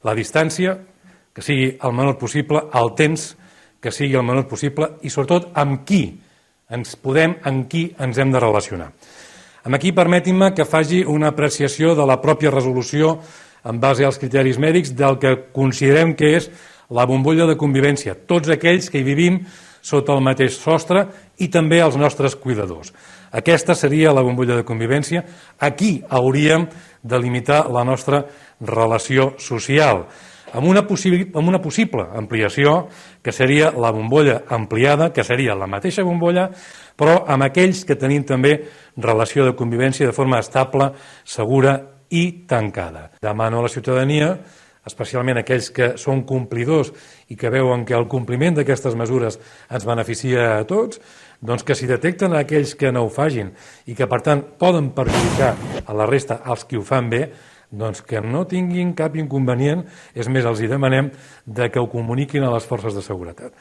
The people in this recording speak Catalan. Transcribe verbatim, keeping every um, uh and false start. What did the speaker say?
La distància, que sigui el menor possible, el temps, que sigui el menor possible i, sobretot, amb qui ens podem, amb qui ens hem de relacionar. Aquí permetin-me que faci una apreciació de la pròpia resolució en base als criteris mèdics del que considerem que és la bombolla de convivència, tots aquells que hi vivim sota el mateix sostre i també els nostres cuidadors. Aquesta seria la bombolla de convivència. Aquí hauríem de limitar la nostra relació social, amb una, amb una possible ampliació que seria la bombolla ampliada, que seria la mateixa bombolla, però amb aquells que tenim també relació de convivència de forma estable, segura i tancada. Demano a la ciutadania, especialment aquells que són complidors i que veuen que el compliment d'aquestes mesures ens beneficia a tots, doncs que si detecten aquells que no ho facin i que per tant poden perjudicar a la resta, als qui ho fan bé, doncs que no tinguin cap inconvenient, és més, els hi demanem de que ho comuniquin a les forces de seguretat.